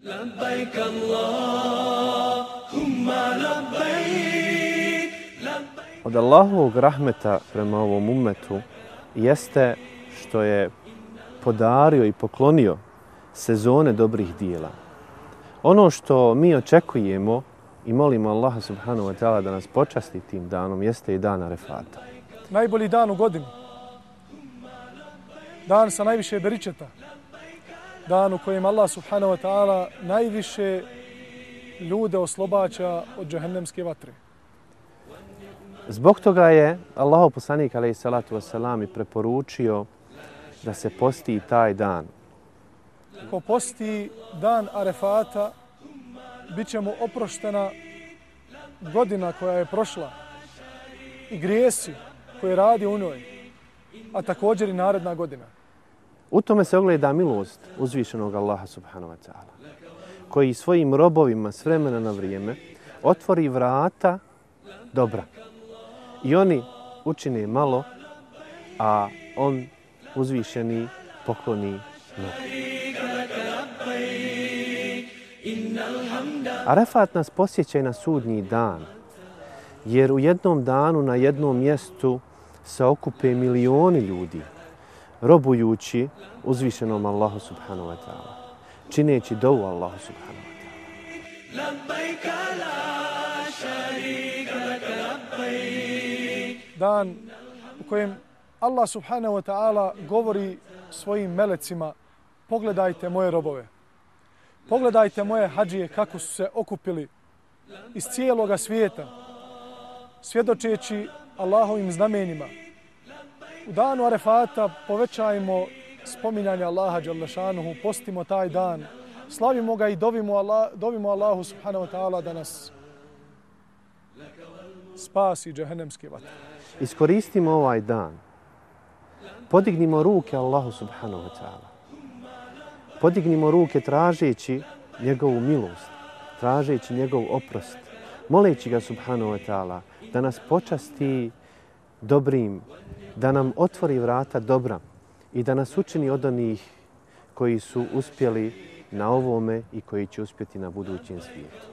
لبيك اللهم لبيك. Od Allahovog rahmeta prema ovom ummetu jeste što je podario i poklonio sezone dobrih dijela. Ono što mi očekujemo i molimo Allaha subhanahu wa ta'ala da nas počasti tim danom jeste i dan Arefata. Najbolji dan u godini. Dan sa najviše beričeta. Dan u kojem Allah subhanahu wa ta'ala najviše ljude oslobađa od džehennemske vatre. Zbog toga je Allahov poslanik alejhi salatu vesselam i preporučio da se posti taj dan. Ko posti dan Arefata, bit će mu oproštena godina koja je prošla i grijesi koje radi u njoj, a također i naredna godina. U tome se ogleda milost uzvišenog Allaha subhanahu wa ta'ala, koji svojim robovima s vremena na vrijeme otvori vrata dobra. I oni učine malo, a on uzvišeni pokloni mnogo. Arefat nas posjeća i na sudnji dan, jer u jednom danu na jednom mjestu se okupe milioni ljudi, robujući uzvišenom Allahu subhanahu wa ta'ala, čineći dovu Allahu subhanahu wa ta'ala. Dan u kojem Allah subhanahu wa ta'ala govori svojim melecima: pogledajte moje robove, pogledajte moje hadžije kako su se okupili iz cijeloga svijeta, svjedočeći Allahovim znamenjima. U danu Arefata povećajmo spominjanje Allaha dželle šanuhu, postimo taj dan, slavimo ga i dovimo Allahu subhanahu wa ta'ala da nas spasi džehennemske vatre. Iskoristimo ovaj dan. Podignimo ruke Allahu subhanahu wa ta'ala. Podignimo ruke tražeći njegovu milost, tražeći njegov oprost, moleći ga subhanahu wa ta'ala da nas počasti dobrim, da nam otvori vrata dobra i da nas učini od onih koji su uspjeli na ovome i koji će uspjeti na budućem svijetu.